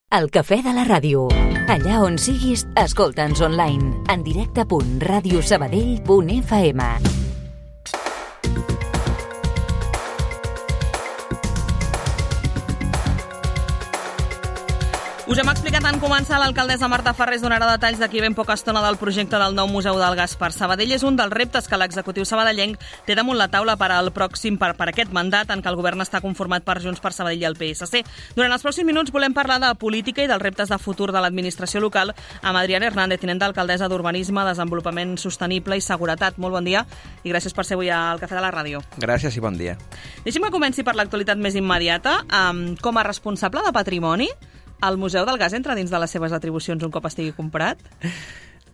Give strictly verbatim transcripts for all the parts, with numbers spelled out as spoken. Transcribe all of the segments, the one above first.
El cafè de la ràdio. Allà on siguis, escolta'ns online. En directe punt ràdio sabadell punt f m. Us hem explicat en començar, l'alcaldessa Marta Farrés donarà detalls d'aquí ben poca estona del projecte del nou Museu del Gas per Sabadell. És un dels reptes que l'executiu sabadellenc té damunt la taula per al pròxim per, per aquest mandat en què el govern està conformat per Junts per Sabadell i el P S C. Durant els pròxims minuts volem parlar de política i dels reptes de futur de l'administració local amb Adriana Hernández, tinent d'alcaldessa d'Urbanisme, Desenvolupament Sostenible i Seguretat. Molt bon dia i gràcies per ser avui al Cafè de la Ràdio. Gràcies i bon dia. Deixi'm que comenci per l'actualitat més immediata. Um, com a responsable de patrimoni, el Museu del Gas entra dins de les seves atribucions un cop estigui comprat?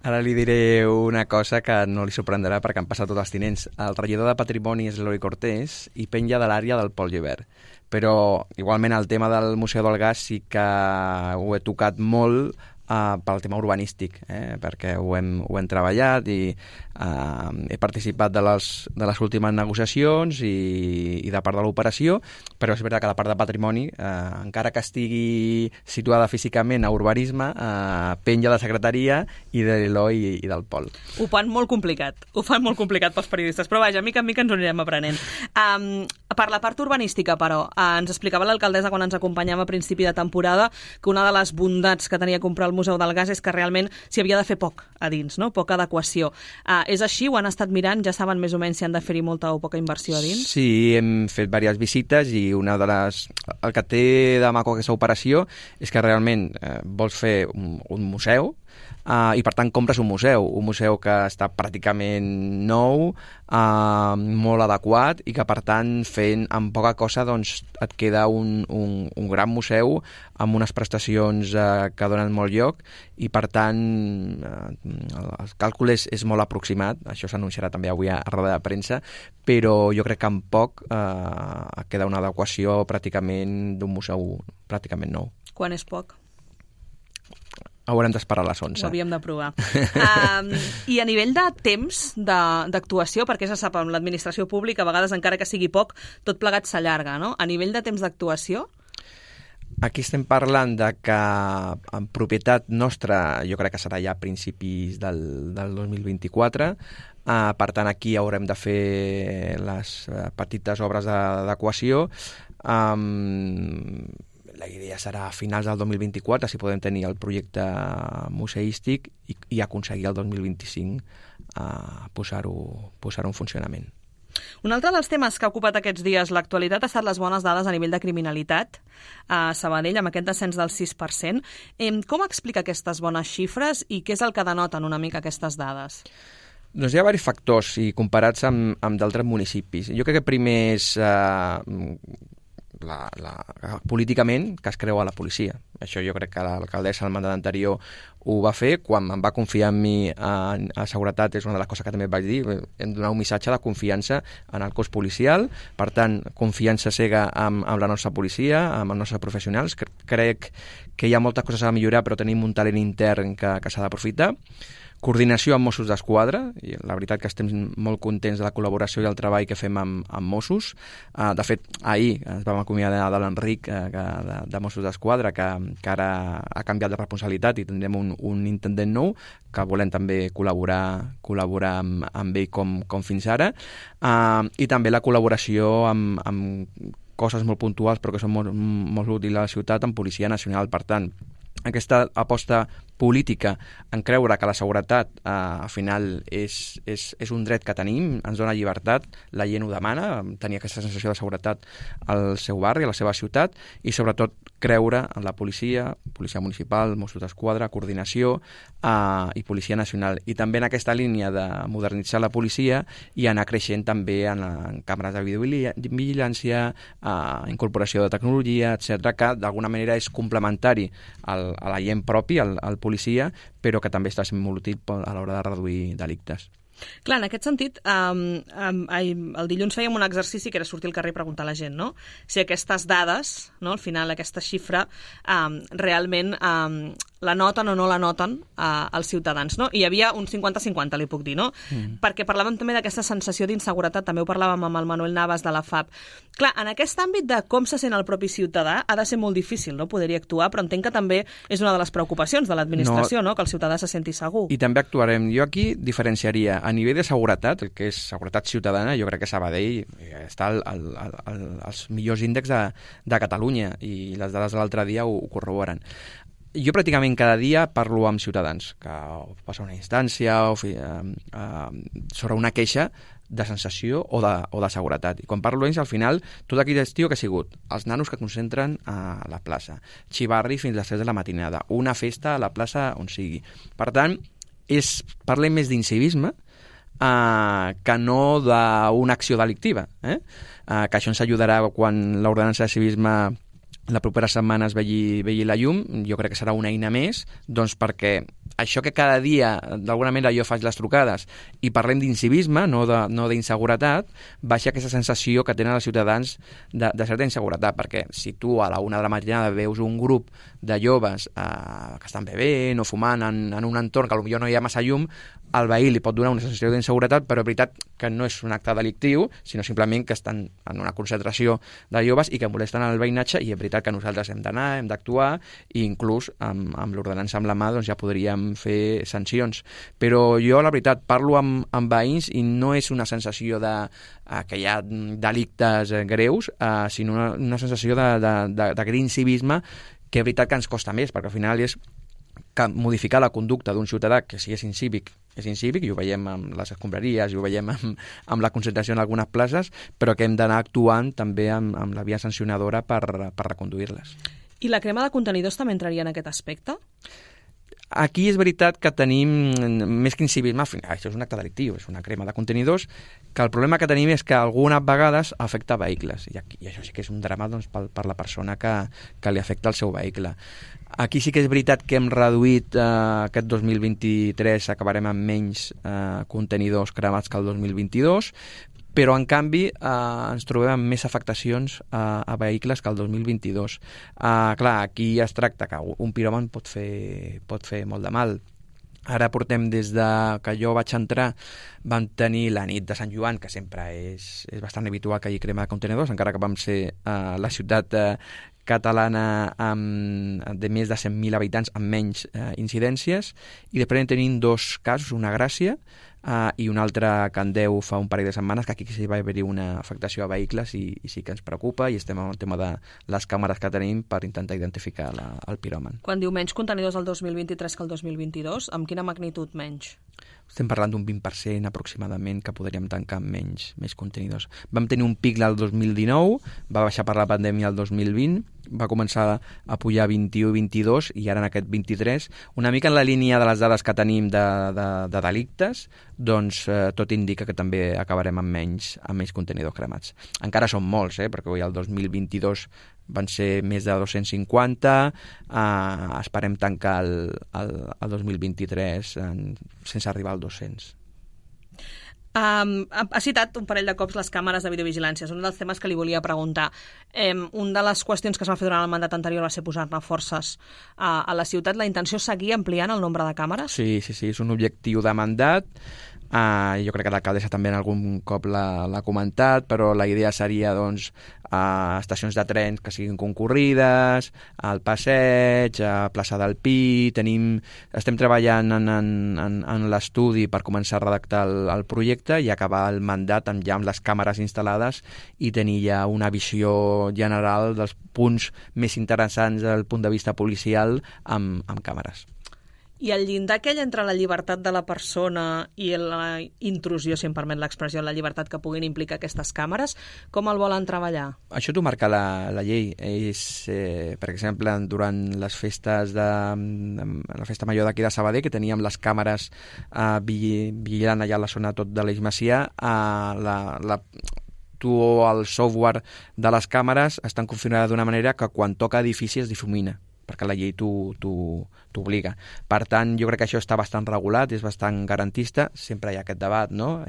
Ara li diré una cosa que no li sorprendrà perquè han passat tots els tinents. El regidor de Patrimoni és l'Eloi Cortés i penja de l'àrea del Pol Gibert. Però igualment el tema del Museu del Gas sí que ho he tocat molt Uh, pel tema urbanístic, eh? perquè ho hem, ho hem treballat i uh, he participat de les, de les últimes negociacions i, i de part de l'operació, però és veritat que la part de patrimoni, uh, encara que estigui situada físicament a urbanisme, uh, penja de la secretaria i de l'Eloi i, i del Pol. Ho fan molt complicat, ho fan molt complicat pels periodistes, però vaja, mica en mica ens ho anirem aprenent. Um, per la part urbanística, però, uh, ens explicava l'alcaldessa quan ens acompanyava a principi de temporada que una de les bondats que tenia comprar el Museu del Gas és que realment s'hi havia de fer poc a dins, no? Poca adequació. Uh, és així? Ho han estat mirant? Ja saben més o menys si han de fer-hi molta o poca inversió a dins? Sí, hem fet diverses visites i una de les... el que té de maco aquesta operació és que realment eh, vols fer un, un museu Uh, i per tant compres un museu, un museu que està pràcticament nou, uh, molt adequat i que per tant fent amb poca cosa doncs, et queda un, un, un gran museu amb unes prestacions uh, que donen molt lloc i per tant uh, el càlcul és, és molt aproximat, això s'anunciarà també avui a, a roda de premsa, però jo crec que amb poc uh, queda una adequació pràcticament d'un museu pràcticament nou. Quan és poc? Haurem d'esperar a les onze. Ho havíem de provar. um, I a nivell de temps d'actuació, perquè se sap, amb l'administració pública, a vegades, encara que sigui poc, tot plegat s'allarga, no? A nivell de temps d'actuació? Aquí estem parlant de que en propietat nostra jo crec que serà ja a principis del, del dos mil vint-i-quatre. Uh, per tant, aquí haurem de fer les uh, petites obres d'adequació. Um, La idea serà a finals del dos mil vint-i-quatre, si podem tenir el projecte museístic i, i aconseguir el dos mil vint-i-cinc uh, posar-ho posar-ho en funcionament. Un altre dels temes que ha ocupat aquests dies l'actualitat ha estat les bones dades a nivell de criminalitat a Sabadell, amb aquest descens del sis per cent. Eh, com explica aquestes bones xifres i què és el que denoten una mica aquestes dades? Doncs hi ha diversos factors i comparats amb, amb d'altres municipis. Jo crec que primer és... Uh, La, la, políticament que es creu a la policia. Això jo crec que l'alcaldessa al mandat anterior ho va fer. Quan em va confiar en mi a, a seguretat és una de les coses que també vaig dir. Hem de donar un missatge de confiança en el cos policial, per tant confiança cega amb, amb la nostra policia, amb els nostres professionals. Crec que hi ha moltes coses a millorar, però tenim un talent intern que, que s'ha d'aprofitar. Coordinació amb Mossos d'Esquadra, i la veritat que estem molt contents de la col·laboració i el treball que fem amb, amb Mossos. Uh, de fet, ahir ens vam acomiadar de l'Enric uh, de, de Mossos d'Esquadra, que, que ara ha canviat de responsabilitat i tindrem un, un intendent nou, que volem també col·laborar, col·laborar amb, amb ell com, com fins ara. Uh, I també la col·laboració amb, amb coses molt puntuals però que són molt, molt útils a la ciutat amb Policia Nacional. Per tant, aquesta aposta política en creure que la seguretat eh, al final és, és, és un dret que tenim, ens dona llibertat, la gent ho demana, tenir aquesta sensació de seguretat al seu barri, a la seva ciutat, i sobretot creure en la policia, policia municipal, Mossos d'Esquadra, coordinació eh, i Policia Nacional. I també en aquesta línia de modernitzar la policia i anar creixent també en, en càmeres de videovigilància, eh, incorporació de tecnologia, etcètera, que d'alguna manera és complementari al, a la gent propi, al, al policia, però que també està sent molt útil a l'hora de reduir delictes. Clar, en aquest sentit, um, um, el dilluns fèiem un exercici que era sortir al carrer i preguntar a la gent, no? Si aquestes dades, no, al final aquesta xifra, um, realment um, la noten o no la noten eh, els ciutadans, no? I hi havia un cinquanta cinquanta, li puc dir, no? Mm. Perquè parlàvem també d'aquesta sensació d'inseguretat, també ho parlàvem amb el Manuel Navas de la F A P. Clar, en aquest àmbit de com se sent el propi ciutadà ha de ser molt difícil, no?, poder-hi actuar, però entenc que també és una de les preocupacions de l'administració, no. no?, que el ciutadà se senti segur. I també actuarem. Jo aquí diferenciaria a nivell de seguretat, el que és seguretat ciutadana, jo crec que Sabadell està al, al, al, als millors índexs de, de Catalunya, i les dades de l'altre dia ho, ho corroboren. Jo pràcticament cada dia parlo amb ciutadans, que passa una instància o fi, eh, eh, sobre una queixa de sensació o de, o de seguretat. I quan parlo ells, al final, tot aquell estiu que ha sigut els nanos que concentren a la plaça, xivarri fins a les tres de la matinada, una festa a la plaça on sigui. Per tant, és, parlem més d'incivisme eh, que no d'una acció delictiva. Eh? Eh, que això ens ajudarà quan l'ordenança de civisme la propera setmana es vegi, vegi la llum. Jo crec que serà una eina més, doncs perquè això que cada dia, d'alguna manera, jo faig les trucades i parlem d'incivisme, no de, no d'inseguretat, baixa aquesta sensació que tenen els ciutadans de, de certa inseguretat, perquè si tu a la una de la matinada veus un grup de joves eh, que estan bevent o fumant en, en un entorn que potser no hi ha massa llum, al veí li pot donar una sensació d'inseguretat, però és veritat que no és un acte delictiu, sinó simplement que estan en una concentració de joves i que molesten el veïnatge, i és veritat que nosaltres hem d'anar, hem d'actuar, i inclús amb, amb l'ordenança amb la mà doncs ja podríem fer sancions. Però jo, la veritat, parlo amb, amb veïns i no és una sensació de eh, que hi ha delictes eh, greus, eh, sinó una, una sensació de, de, de, de greu civisme, que és veritat que ens costa més, perquè al final és que modificar la conducta d'un ciutadà que si és incívic, és incívic, i ho veiem amb les escombraries, i ho veiem amb, amb la concentració en algunes places, però que hem d'anar actuant també amb, amb la via sancionadora per, per reconduir-les. I la crema de contenidors també entraria en aquest aspecte? Aquí és veritat que tenim, més que incivisme, al final, això és un acte delictiu, és una crema de contenidors, que el problema que tenim és que algunes vegades afecta vehicles, i, aquí, i això sí que és un drama doncs, per, per la persona que, que li afecta el seu vehicle. Aquí sí que és veritat que hem reduït eh, aquest dos mil vint-i-tres, acabarem amb menys eh, contenidors cremats que el dos mil vint-i-dos, però en canvi eh, ens trobem amb més afectacions a, a vehicles que el dos mil vint-i-dos. Eh, clar, aquí es tracta que un piròman pot fer, pot fer molt de mal. Ara portem des de que jo vaig entrar, vam tenir la nit de Sant Joan, que sempre és, és bastant habitual que hi hagi crema de contenidors, encara que vam ser eh, la ciutat eh, catalana amb, de més de cent mil habitants amb menys eh, incidències, i després tenim dos casos, una a Gràcia eh, i un altre a Candeu fa un parell de setmanes, que aquí sí va haver-hi una afectació a vehicles i, i sí que ens preocupa, i estem amb el tema de les càmeres que tenim per intentar identificar la, el piròman. Quan diu menys contenidors el dos mil vint-i-tres que el dos mil vint-i-dos, amb quina magnitud menys? Estem parlant d'un vint per cent aproximadament que podríem tancar amb menys, menys contenidors. Vam tenir un pic el dos mil dinou, va baixar per la pandèmia el dos mil vint, va començar a pujar vint-i-u i vint-i-dos, i ara en aquest vint-i-tres, una mica en la línia de les dades que tenim de, de, de delictes, doncs eh, tot indica que també acabarem amb menys, amb menys contenidors cremats. Encara són molts, eh, perquè avui el dos mil vint-i-dos van ser més de dos-cents cinquanta, eh, esperem tancar el, el, el dos mil vint-i-tres en, sense arribar als dos-cents. Um, ha citat un parell de cops les càmeres de videovigilància. És un dels temes que li volia preguntar. Um, una de les qüestions que es va fer durant el mandat anterior va ser posar-ne forces uh, a la ciutat. La intenció és seguir ampliant el nombre de càmeres? Sí, sí, sí, és un objectiu de mandat. Uh, jo crec que l'alcaldessa també en algun cop l'ha comentat, però la idea seria doncs, uh, estacions de trens que siguin concorrides, al passeig, a plaça del Pi. Tenim, estem treballant en, en, en, en l'estudi per començar a redactar el, el projecte i acabar el mandat amb, ja amb les càmeres instal·lades i tenir ja una visió general dels punts més interessants des del punt de vista policial amb, amb càmeres. I el llindar aquell entre la llibertat de la persona i la intrusió, si em permet l'expressió, la llibertat que puguin implicar aquestes càmeres, com el volen treballar? Això t'ho marca la, la llei. És, eh, per exemple, durant les festes de, la festa major d'aquí de Sabadell, que teníem les càmeres eh, vigilant allà a la zona tot de l'Eix Macià, eh, la, la tu el software de les càmeres estan configurades d'una manera que quan toca edifici es difumina. perquè la llei t'obliga. Per tant, jo crec que això està bastant regulat, és bastant garantista, sempre hi ha aquest debat, no?,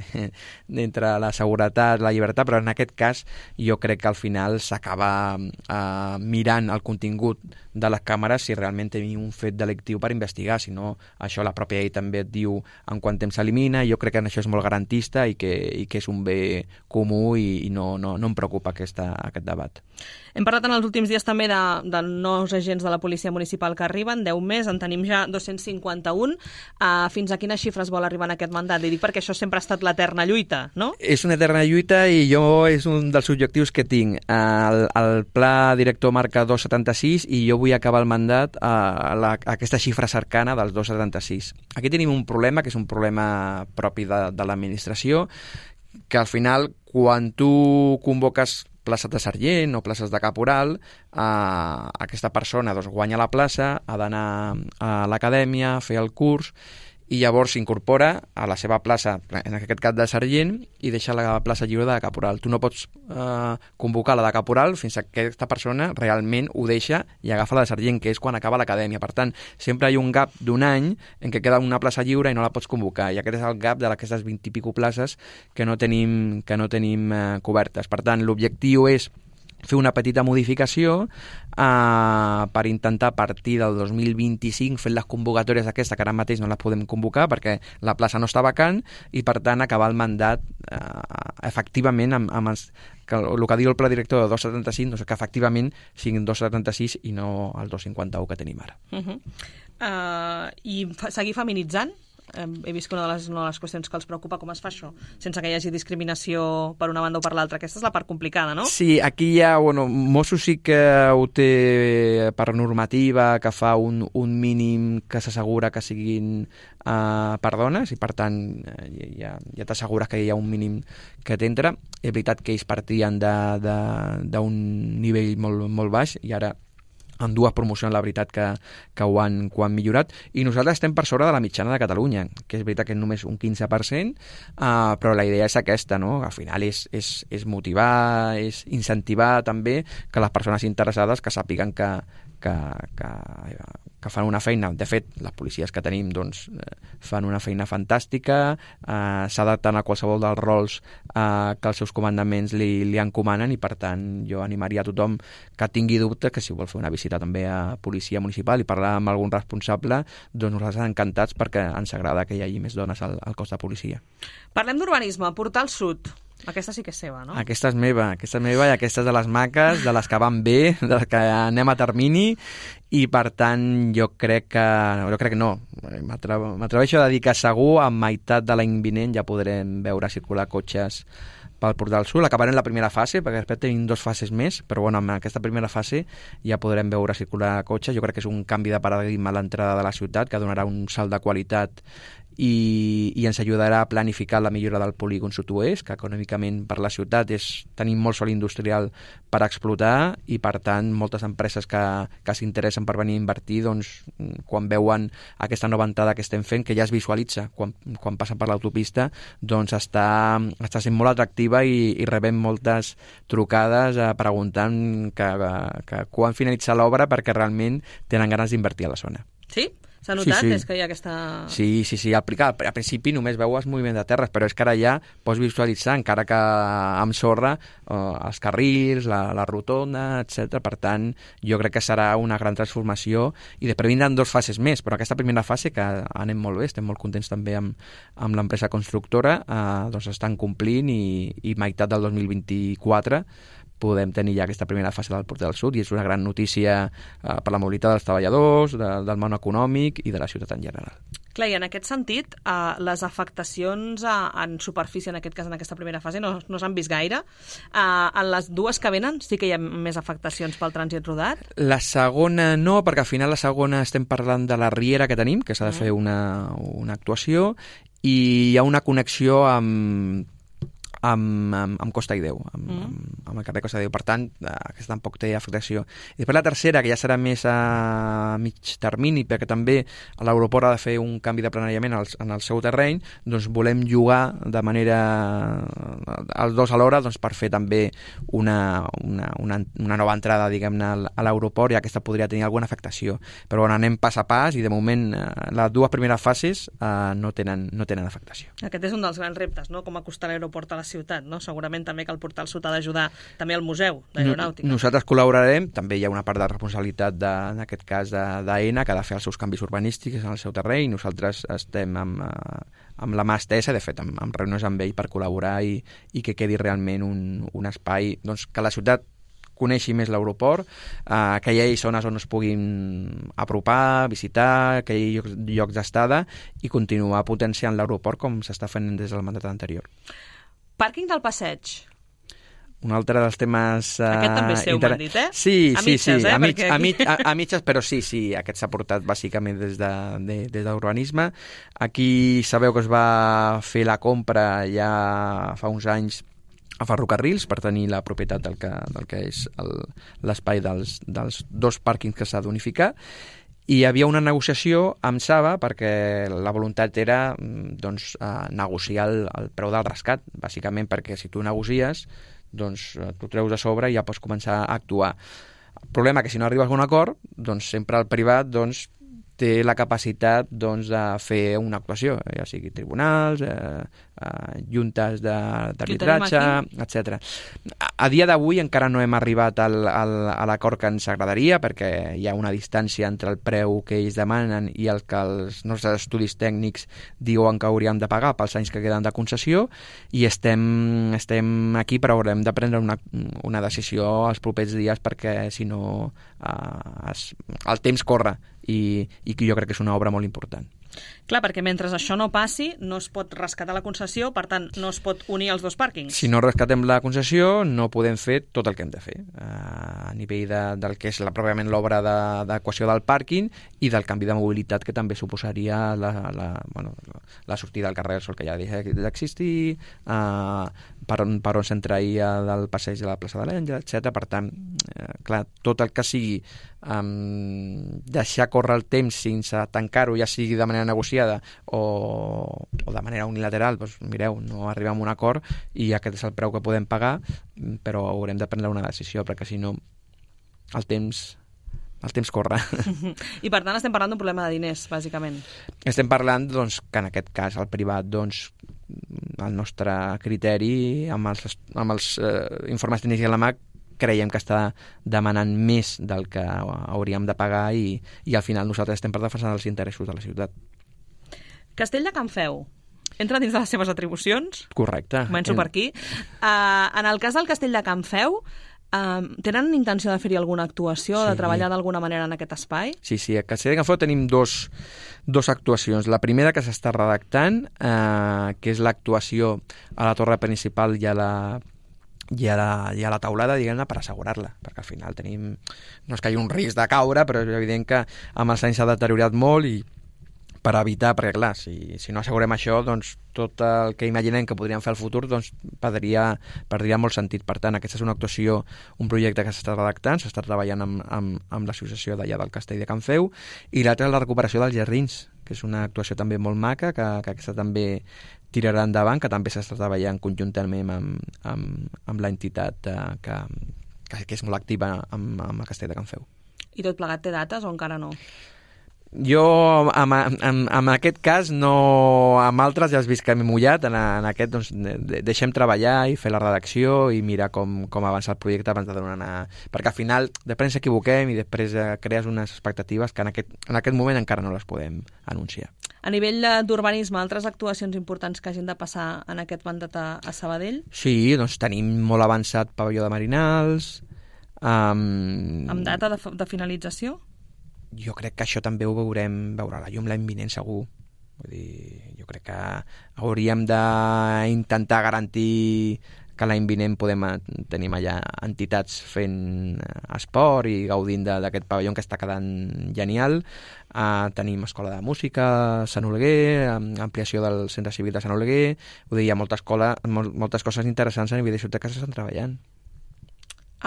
entre la seguretat, la llibertat, però en aquest cas jo crec que al final s'acaba eh, mirant el contingut de les càmeres si realment tenim un fet delictiu per investigar, si no, això la pròpia llei també et diu en quant temps s'elimina, i jo crec que això és molt garantista i que, i que és un bé comú i, i no, no, no em preocupa aquesta, aquest debat. Hem parlat en els últims dies també de, de nous agents de la policia municipal que arriben, deu més, en tenim ja dos-cents cinquanta-un. Uh, fins a quines xifres vol arribar en aquest mandat? Li dic perquè això sempre ha estat l'eterna lluita, no? És una eterna lluita i jo és un dels objectius que tinc. El, el pla director marca dos coma setanta-sis i jo vull acabar el mandat a, la, a aquesta xifra cercana dels dos coma setanta-sis. Aquí tenim un problema, que és un problema propi de, de l'administració, que al final, quan tu convoques places de sergent o places de caporal, eh, aquesta persona doncs, guanya la plaça, ha d'anar a l'acadèmia, fer el curs, i llavors s'incorpora a la seva plaça, en aquest cas de sergent, i deixa la plaça lliure de caporal. Tu no pots eh, convocar la de caporal fins que aquesta persona realment ho deixa i agafa la de sergent, que és quan acaba l'acadèmia. Per tant, sempre hi ha un gap d'un any en què queda una plaça lliure i no la pots convocar. I aquest és el gap d'aquestes vint i pico places que no tenim, que no tenim eh, cobertes. Per tant, l'objectiu és fer una petita modificació eh, per intentar a partir del dos mil vint-i-cinc fer les convocatòries d'aquesta, que ara mateix no les podem convocar perquè la plaça no està vacant, i per tant acabar el mandat eh, efectivament amb, amb els, que el que diu el pla director de dos coma setanta-cinc, doncs que efectivament siguin dos coma setanta-sis i no el dos coma cinquanta-u que tenim ara. Uh -huh. uh, I fa, seguir feminitzant? He vist que una de, les, una de les qüestions que els preocupa, com es fa això, sense que hi hagi discriminació per una banda o per l'altra. Aquesta és la part complicada, no? Sí, aquí hi ha, bueno, Mossos sí que ho té per normativa, que fa un, un mínim que s'assegura que siguin uh, per dones, i per tant ja, ja t'assegures que hi ha un mínim que t'entra. És veritat que ells partien d'un nivell molt, molt baix, i ara en dues promocions la veritat que, que ho, han, que ho han millorat, i nosaltres estem per sobre de la mitjana de Catalunya, que és veritat que és només un quinze per cent, uh, però la idea és aquesta, no? Al final és, és, és motivar, és incentivar també que les persones interessades que sàpiguen que, que, que, que fan una feina. De fet, les policies que tenim doncs, fan una feina fantàstica, eh, s'adapten a qualsevol dels rols eh, que els seus comandaments li, li encomanen, i per tant jo animaria a tothom que tingui dubte que si vol fer una visita també a policia municipal i parlar amb algun responsable, doncs nosaltres encantats, perquè ens agrada que hi hagi més dones al, al cos de policia. Parlem d'urbanisme, Portal Sud. Aquesta sí que és seva, no? Aquesta és meva, aquesta és meva i aquesta és de les maques, de les que van bé, de les que anem a termini, i per tant jo crec que... Jo crec que no, m'atreveixo a dir que segur a meitat de l'any vinent ja podrem veure circular cotxes pel Portal Sud. Acabarem la primera fase, perquè després tenim dues fases més, però bueno, en aquesta primera fase ja podrem veure circular cotxes. Jo crec que és un canvi de paradigma a l'entrada de la ciutat, que donarà un salt de qualitat i, i ens ajudarà a planificar la millora del polígon sud-oest, que econòmicament per la ciutat és tenir molt sol industrial per explotar, i per tant moltes empreses que, que s'interessen per venir a invertir, doncs quan veuen aquesta nova entrada que estem fent, que ja es visualitza quan, quan passen per l'autopista, doncs està, està sent molt atractiva, i, i rebem moltes trucades eh, preguntant que, que quan finalitza l'obra, perquè realment tenen ganes d'invertir a la zona. Sí? S'ha notat? Sí, sí. És que hi ha aquesta... Sí, sí, sí. Al, al principi només veues moviment de terres, però és que ara ja pots visualitzar, encara que amb sorra, eh, els carrils, la, la rotonda, etcètera. Per tant, jo crec que serà una gran transformació, i després vindran dues fases més, però aquesta primera fase, que anem molt bé, estem molt contents també amb, amb l'empresa constructora, eh, doncs estan complint, i, i meitat del dos mil vint-i-quatre podem tenir ja aquesta primera fase del Portal Sud, i és una gran notícia eh, per la mobilitat dels treballadors, de, del món econòmic i de la ciutat en general. Clar, i en aquest sentit, eh, les afectacions a, en superfície, en aquest cas, en aquesta primera fase, no, no s'han vist gaire. Eh, en les dues que venen sí que hi ha més afectacions pel trànsit rodat? La segona no, perquè al final la segona estem parlant de la riera que tenim, que s'ha de fer una, una actuació, i hi ha una connexió amb amb, amb, amb Costa i Déu, amb, mm. amb, amb el carrer Costa i Déu. Per tant, aquesta tampoc té afectació. I després la tercera, que ja serà més a mig termini, perquè també l'aeroport ha de fer un canvi de planejament en el seu terreny, doncs volem llogar de manera els dos alhora doncs, per fer també una, una, una, una nova entrada, diguem-ne, a l'aeroport, i aquesta podria tenir alguna afectació. Però bueno, anem pas a pas i de moment les dues primeres fases eh, no, tenen, no tenen afectació. Aquest és un dels grans reptes, no?, com acostar l'aeroport a la ciutat, no? Segurament també que el Portal Sud ha d'ajudar també al Museu d'Aeronàutica. Nosaltres col·laborarem, també hi ha una part de responsabilitat de, en aquest cas d'AENA, que ha de fer els seus canvis urbanístics en el seu terreny. Nosaltres estem amb, amb la mà estesa, de fet, amb, amb reunions amb ell per col·laborar i, i que quedi realment un, un espai, doncs, que la ciutat coneixi més l'aeroport, eh, que hi hagi zones on es puguin apropar, visitar, que hi hagi llocs, llocs d'estada i continuar potenciant l'aeroport com s'està fent des del mandat anterior. Pàrquing del Passeig. Un altre dels temes... Uh, aquest també seu, inter... m'han dit, eh? Sí, a sí, mitges, sí, eh? a, mig, Perquè... a, mig, a, a mitges, però sí, sí, aquest s'ha portat bàsicament des de, de, des d'urbanisme. Aquí sabeu que es va fer la compra ja fa uns anys a Ferrocarrils per tenir la propietat del que, del que és l'espai dels, dels dos pàrquings que s'ha d'unificar. I hi havia una negociació amb Saba perquè la voluntat era doncs, negociar el, el preu del rescat, bàsicament perquè si tu negocies, doncs tu treus a sobre i ja pots començar a actuar. El problema és que si no arribes a un acord, doncs sempre el privat doncs, té la capacitat doncs, de fer una actuació, ja sigui tribunals, eh, eh, juntes d'arbitratge, etcètera. A, a dia d'avui encara no hem arribat al, al, a l'acord que ens agradaria, perquè hi ha una distància entre el preu que ells demanen i el que els nostres estudis tècnics diuen que hauríem de pagar pels anys que queden de concessió, i estem, estem aquí, però haurem de prendre una, una decisió els propers dies, perquè si no eh, es, el temps corre, i, i jo crec que és una obra molt important. Clar, perquè mentre això no passi, no es pot rescatar la concessió, per tant, no es pot unir els dos pàrquings. Si no rescatem la concessió, no podem fer tot el que hem de fer, a nivell de, del que és la, pròpiament l'obra d'adequació del pàrquing i del canvi de mobilitat que també suposaria la, la, bueno, la sortida al carrer Sol, que ja deixa d'existir, eh, per on, per on s'entraia del passeig de la plaça de l'Àngel, etcètera. Per tant, eh, clar, tot el que sigui um, deixar córrer el temps sense tancar-ho, ja sigui de manera negociada o, o de manera unilateral, doncs mireu, no arribem a un acord i aquest és el preu que podem pagar, però haurem de prendre una decisió, perquè si no el temps el temps corre. I per tant estem parlant d'un problema de diners, bàsicament. Estem parlant doncs, que en aquest cas el privat, doncs, el nostre criteri, amb els, amb els eh, informes tècnics de la M A C, creiem que està demanant més del que hauríem de pagar i, i al final nosaltres estem per defensar els interessos de la ciutat. Castell de Can Feu entra dins de les seves atribucions? Correcte. Començo per aquí. Uh, en el cas del Castell de Can Feu, uh, tenen intenció de fer-hi alguna actuació, sí, de treballar d'alguna manera en aquest espai? Sí, sí, a Castell de Can Feu tenim dos, dos actuacions. La primera que s'està redactant, uh, que és l'actuació a la torre principal i a la i a la, i a la taulada, diguem-ne, per assegurar-la, perquè al final tenim, no és que hi hagi un risc de caure, però és evident que amb els anys s'ha deteriorat molt i per evitar, perquè clar, si, si no assegurem això, doncs tot el que imaginem que podríem fer al futur doncs perdria, perdria molt sentit. Per tant, aquesta és una actuació, un projecte que s'està redactant, s'està treballant amb, amb, amb l'associació d'allà del Castell de Can Feu, i l'altra és la recuperació dels jardins, que és una actuació també molt maca, que, que aquesta també tirarà endavant, que també s'està treballant conjuntament amb, amb, amb l'entitat eh, que, que, que és molt activa amb, amb el Castell de Can Feu. I tot plegat té dates o encara no? Jo, en, en, en aquest cas, no, amb altres ja has vist que m'he mullat, en, en aquest doncs, de, deixem treballar i fer la redacció i mirar com, com avança el projecte abans de donar una... Perquè al final, després ens equivoquem i després eh, crees unes expectatives que en aquest, en aquest moment encara no les podem anunciar. A nivell d'urbanisme, altres actuacions importants que hagin de passar en aquest mandat a, a Sabadell? Sí, doncs tenim molt avançat pavelló de Marinals. Um... Amb data de, de finalització? Jo crec que això també ho veurem, veurà la llum l'any vinent segur. Vull dir, jo crec que hauríem d'intentar garantir que l'any vinent podem tenir allà entitats fent esport i gaudint d'aquest pavelló que està quedant genial. Uh, tenim escola de música a Sant Oleguer, ampliació del centre civil de Sant Oleguer, vull dir, hi ha molta escola, mol, moltes coses interessants a nivell de ciutat que s'estan treballant.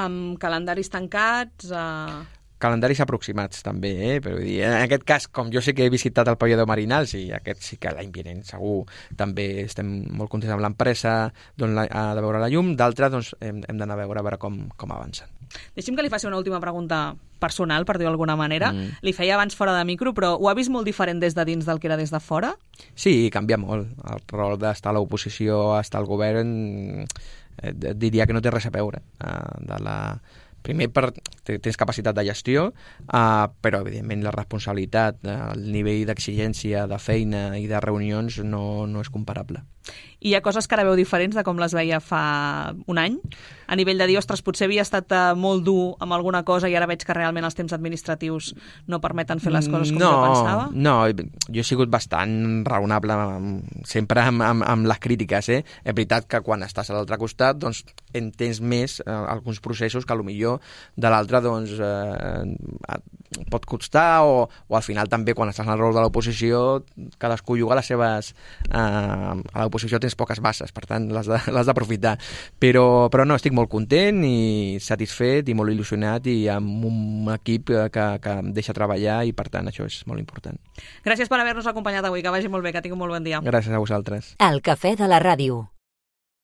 Amb calendaris tancats... Uh... Calendaris aproximats també, eh? Però vull dir, en aquest cas, com jo sé que he visitat el pavelló de Marinals i aquest sí que l'any vinent segur també estem molt contents amb l'empresa d'on ha de veure la llum, d'altres doncs, hem, hem d'anar a veure, a veure com, com avancen. Deixi'm que li faci una última pregunta personal, per dir-ho d'alguna manera. Mm. Li feia abans fora de micro, però ho ha vist molt diferent des de dins del que era des de fora? Sí, canvia molt. El rol d'estar a l'oposició, estar al govern, eh, diria que no té res a veure eh, de la... Primer, per, tens capacitat de gestió, uh, però, evidentment, la responsabilitat, el nivell d'exigència, de feina i de reunions no, no és comparable. I hi ha coses que ara veu diferents de com les veia fa un any? A nivell de dir, ostres, potser havia estat molt dur amb alguna cosa i ara veig que realment els temps administratius no permeten fer les coses com no, jo pensava? No, jo he sigut bastant raonable sempre amb, amb, amb les crítiques. Eh? És veritat que quan estàs a l'altre costat doncs, entens més eh, alguns processos que potser de l'altre doncs, eh, pot costar o, o al final també quan estàs en el rol de l'oposició cadascú juga les seves... Eh, a l'oposició tens poques bases, per tant l'has d'aprofitar. Però, però no, estic molt content i satisfet i molt il·lusionat i amb un equip que, que em deixa treballar i per tant això és molt important. Gràcies per haver-nos acompanyat avui, que vagi molt bé, que tingui un molt bon dia. Gràcies a vosaltres. El Cafè de la Ràdio.